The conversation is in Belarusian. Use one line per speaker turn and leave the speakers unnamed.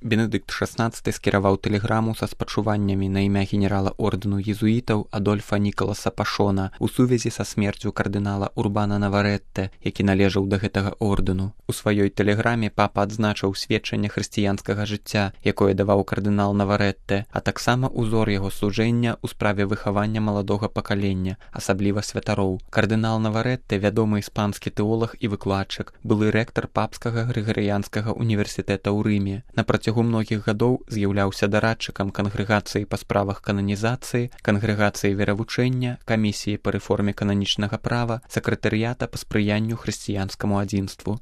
Бенедыкт XVI скіраваў тэлеграму са спачуваннямі на імя генерала ордэну езуітаў Адольфа Нікаласа Пашона у сувязі са смерцю кардынала Урбана Наварэтте, які належаў да гэтага ордэну. У сваёй тэлеграме папа адзначыў сведчанне хрысціянскага жыцця, якое даваў кардынал Наварэтте, а таксама ўзор яго служэння ў справе выхавання маладога пакалення, асабліва святароў. Кардынал Наварэтте, вядомы іспанскі тэолаг і выкладчык, былы рэктар папскага грыгарыянскага універсітэта ў Рыме. На працягу многіх гадоў з'яўляўся дарадчыкам кангрэгацыі па справах кананізацыі, кангрэгацыі веравучэння, камісіі па рэформе кананічнага права, сакратарыята па спрыянню хрысціянскаму адзінству.